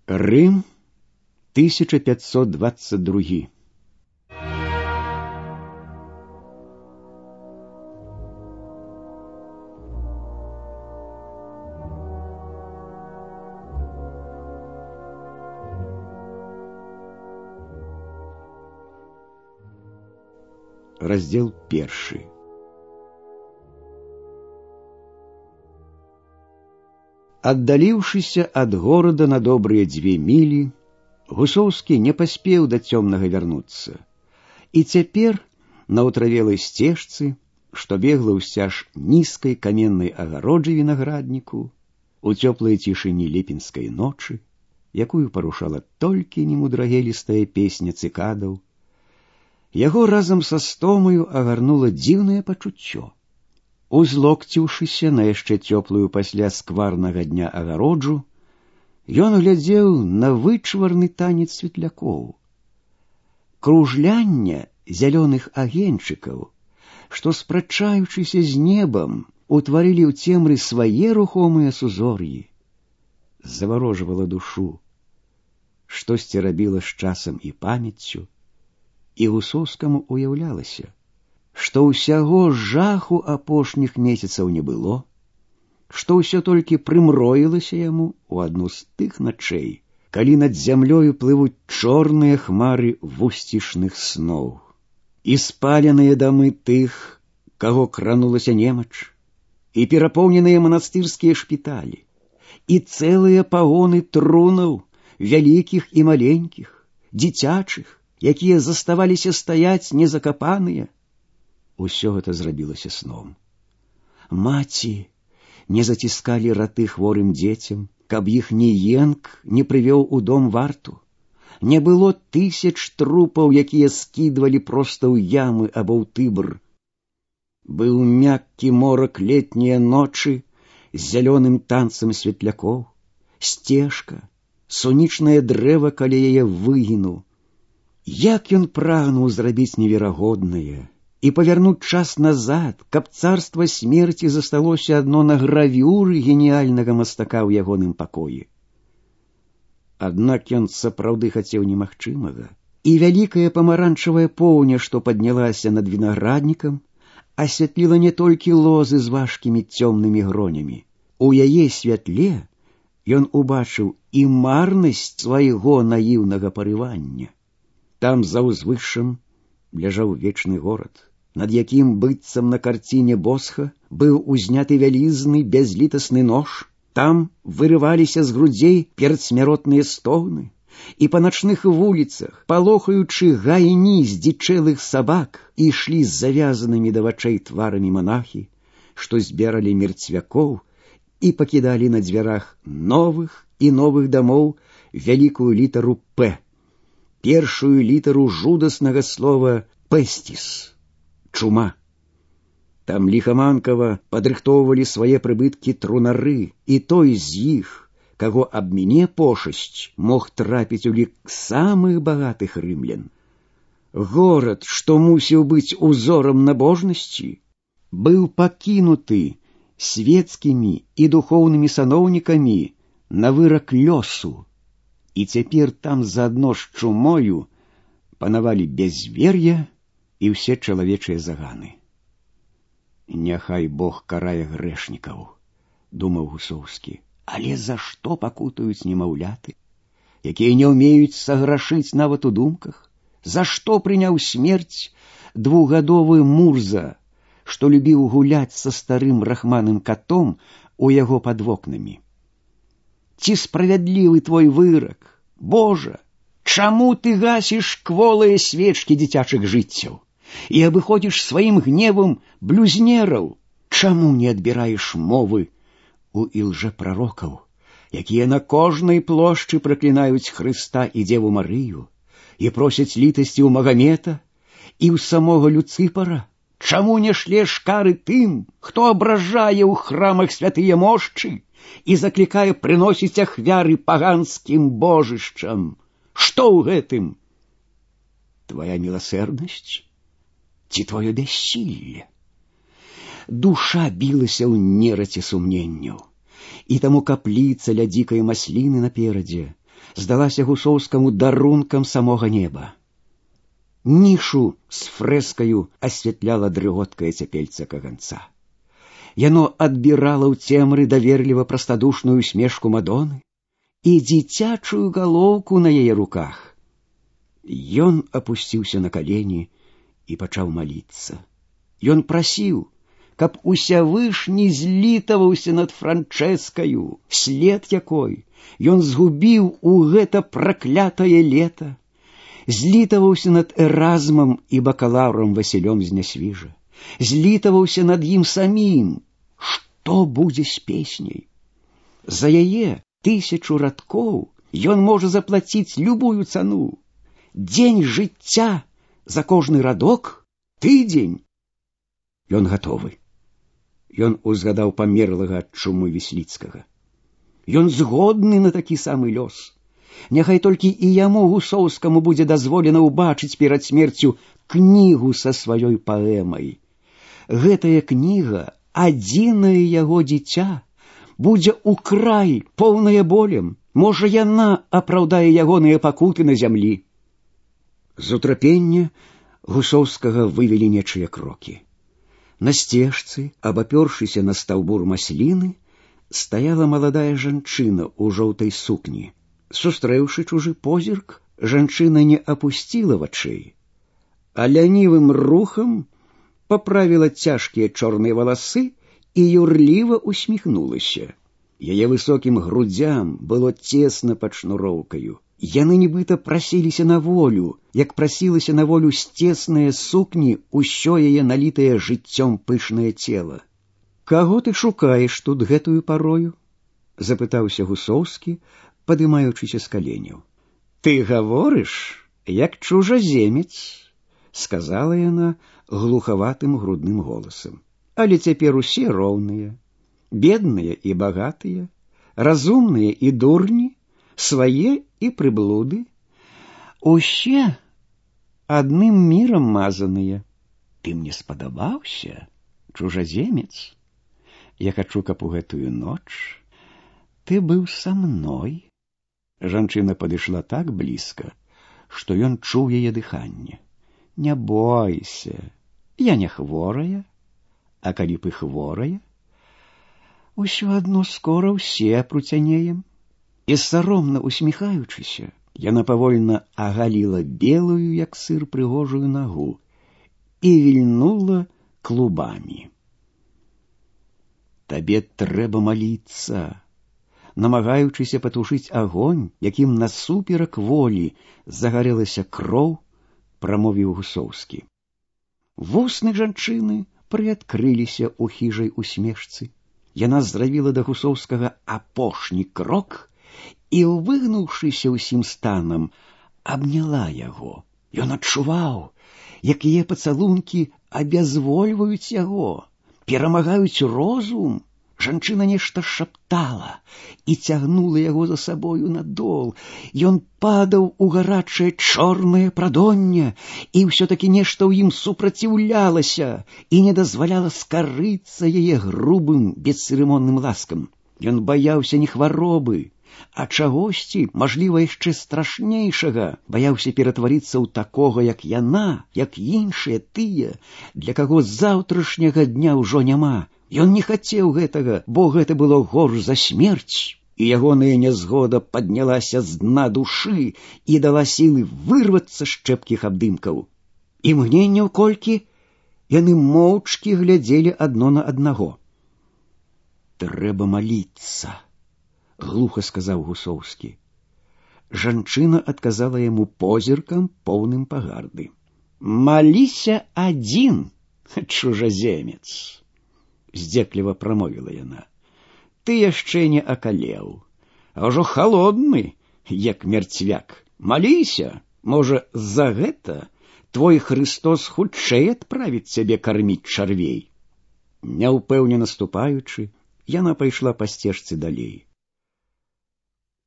Рым, 1522. Раздел 1. Аддаліўшыся ад горада на добрыя 2 мілі, Гусоўскі не паспеў да цёмнага вярнуцца. І цяпер на ўтравелай сцежцы, што бегла ўсцяж нізкай каменнай агароджы вінаградніку, у цёплай цішыні ліпеньскай ночы, якую парушала толькі немудрагелістая песня цыкадаў, яго разам са стомаю агарнула дзіўнае пачуццё. Узлокціўшыся на яшчэ цёплую пасля скварнага дня агароджу, ён глядзеў на вычварны танец светлякоў. Кружляння зялёных агеньчыкаў, што, спрачаючыся з небам, утварылі ў цемры свае рухомыя сузор'і, заварожвала душу. Штосьці рабіла з часам і памяццю, і Гусоўскаму уяўлялася, што ўсяго жаху апошніх месяцаў не было, што ўсё толькі прымроілася яму ў адну з тых начэй, калі над зямлёю плывуць чорныя хмары вусцішных сноў. І спаленыя дамы тых, каго кранулася немач, і перапоўненыя манастырскія шпіталі, і цэлыя пагоны трунаў, вялікіх і маленькіх, дзіцячых, якія заставаліся стаяць незакапаныя. Усё гэта зрабілася сном. Маці не заціскалі раты хворым дзецям, каб іхні енк не прывёў у дом варту. Не было 1000 трупаў, якія скідвалі проста ў ямы або ў Тыбр. Быў мяккі морак летнія ночы з зялёным танцам светлякоў, сцежка, сонечнае дрэва каля яе выгіну. Як ён прагнуў зрабіць неверагоднае і павярнуць час назад, каб царства смерці засталося адно на гравюры геніяльнага мастака ў ягоным пакоі. Аднак ён сапраўды хацеў немагчымага, і вялікая памаранчавая поўня, што паднялася над вінаграднікам, асвятліла не толькі лозы з важкімі цёмнымі гронямі. У яе святле ён убачыў і марнасць свайго наіўнага парывання. Там за ўзвышшам ляжаў вечны горад, над якім быццам на карціне Босха быў узняты вялізны бязлітасны нож. Там вырываліся з грудзей перадсмяротныя стогны, і па начных вуліцах, палохаючы гайні здзічэлых сабак, ішлі з завязанымі да вачэй тварамі монахі, што збіралі мерцвякоў і пакідалі на дзвярах новых і новых дамоў вялікую літару «П», першую літару жудаснага слова «пэстіс» — чума. Там ліхаманкава падрыхтоўвалі свае прыбыткі трунары, і той з іх, каго абміне пошасць, мог трапіць у лік самых багатых рымлян. Горад, што мусіў быць узорам набожнасці, быў пакінуты свецкімі і духоўнымі саноўнікамі на вырак лёсу. І цяпер там заадно з чумою панавалі бязвер'е і ўсе чалавечыя заганы. «Няхай Бог карае грэшнікаў», — думаў Гусоўскі, «але за што пакутаюць немаўляты, якія не ўмеюць саграшыць нават у думках? За што прыняў смерць 2гадовы Мурза, што любіў гуляць са старым рахманым катом у яго пад вокнамі? Ці справядлівы твой вырак? Божа, чаму ты гасіш кволыя свечкі дзіцячых жыццяў і абыходзіш сваім гневам блюзнераў? Чаму не адбіраеш мовы у ілжэпрарокаў, якія на кожнай плошчы праклінаюць Хрыста і Дзеву Марыю і просяць літасці ў Магамета і ў самога Люцыпара? Чаму не шлеш кары тым, хто абражае ў храмах святыя мошчы і заклікае прыносіць ахвяры паганскім божышчам? Што ў гэтым? Твая міласэрнасць ці твоё бяссілле? Душа білася ў нераце сумненняў, і таму капліца ля дзікай масліны наперадзе здалася Гусоўскаму дарункам самога неба. Нішу з фрэскаю асвятляла дрыготкае цяпельца каганца. Яно адбірала ў цемры даверліва прастадушную усмешку Мадоны і дзіцячую галоўку на яе руках. Ён апусціўся на калені і пачаў маліцца. Ён прасіў, каб Усявышні злітаваўся над Франчэскаю, след якой ён згубіў у гэта праклятае лета, злітаваўся над Эразмам і бакалаўрам Васілём з Нясвіжа, злітаваўся над ім самім. Што будзе з песняй? За яе 1000 радкоў ён можа заплаціць любую цану. Дзень жыцця за кожны радок — тыдзень. Ён гатовы. Ён узгадаў памерлага ад чумы Вісліцкага. Ён згодны на такі самы лёс. Няхай толькі і яму, Гусоўскаму, будзе дазволена ўбачыць перад смерцю кнігу са сваёй паэмай. Гэтая кніга, адзінае яго дзіця, будзе ў край, поўная болем. Можа, яна апраўдае ягоныя пакуты на зямлі. З утрапення Гусоўскага вывелі нечыя крокі. На сцежцы, абапёршыся на стаўбур масліны, стаяла маладая жанчына ў жоўтай сукні. Сустрэўшы чужы позірк, жанчына не апусціла вачэй, а лянівым рухам паправіла цяжкія чорныя валасы і юрліва усміхнулася. Яе высокім грудзям было цесна пад шнуроўкаю. Яны нібыта прасіліся на волю, як прасілася на волю з цеснае сукні ўсё яе налітае жыццём пышнае цела. «Каго ты шукаеш тут гэтую парою?» — запытаўся Гусоўскі, падымаючыся з каленяў. «Ты гаворыш, як чужаземец», — сказала яна глухаватым грудным голасам. «Але цяпер усе роўныя, бедныя і багатыя, разумныя і дурні, свае і прыблуды. Усе адным мірам мазаныя. Ты мне спадабаўся, чужаземец. Я хачу, каб у гэтую ноч ты быў са мной». Жанчына падышла так блізка, што ён чуў яе дыханне. «Не бойся, я не хворая, а калі б і хворая, усё адно скора ўсе пруцянеем». І саромна усміхаючыся, яна павольна агаліла белую, як сыр, прыгожую нагу і вільнула клубамі. «Табе трэба маліцца», намагаючыся патушыць агонь, якім насуперак волі загарэлася кроў, прамовіў Гусоўскі. Вусны жанчыны прыадкрыліся ў хіжай усмешцы. Яна зрабіла да Гусоўскага апошні крок і, выгнуўшыся ўсім станам, абняла яго. Ён адчуваў, як яе пацалункі абязвольваюць яго, перамагаюць розум. Жанчына нешта шаптала і цягнула яго за сабою надол. Ён падаў у гарачае чорнае прадонне, і ўсё-такі нешта ў ім супраціўлялася і не дазваляла скарыцца яе грубым, бесцырымонным ласкам. Ён баяўся не хваробы, а чагосьці, мажліва, яшчэ страшнейшага, баяўся ператварыцца ў такога, як яна, як іншыя тыя, для каго заўтрашняга дня ўжо няма. Ён не хацеў гэтага, бо гэта было горш за смерць, і ягоная нязгода паднялася з дна душы і дала сілы вырвацца з чэпкіх абдымкаў. Імгненняў колькі яны моўчкі глядзелі адно на аднаго. «Трэба маліцца», — глуха сказаў Гусоўскі. Жанчына адказала яму позіркам, поўным пагарды. «Маліся адзін, чужаземец», — здзекліва прамовіла яна. «Ты яшчэ не акалеў, а ўжо халодны, як мерцвяк. Маліся, можа, за гэта твой Хрыстос хутчэй адправіць цябе карміць чарвей». Няўпэўнена ступаючы, яна пайшла па сцежцы далей.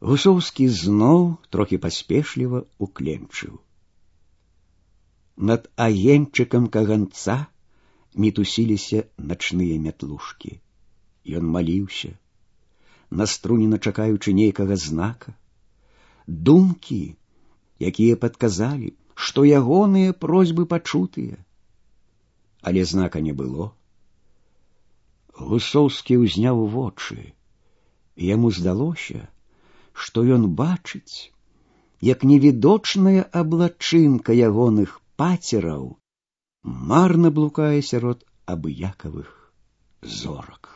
Гусоўскі зноў трохі паспешліва укленчыў. Над агеньчыкам каганца мітусіліся начныя мятлушкі. Ён маліўся, наструнена чакаючы нейкага знака. думкі, якія падказалі, што ягоныя просьбы пачутыя. Але знака не было. Гусоўскі ўзняў вочы. Яму здалося, што ён бачыць, як невідочная аблачынка ягоных пацераў марна блукае сярод абыякавых зорак.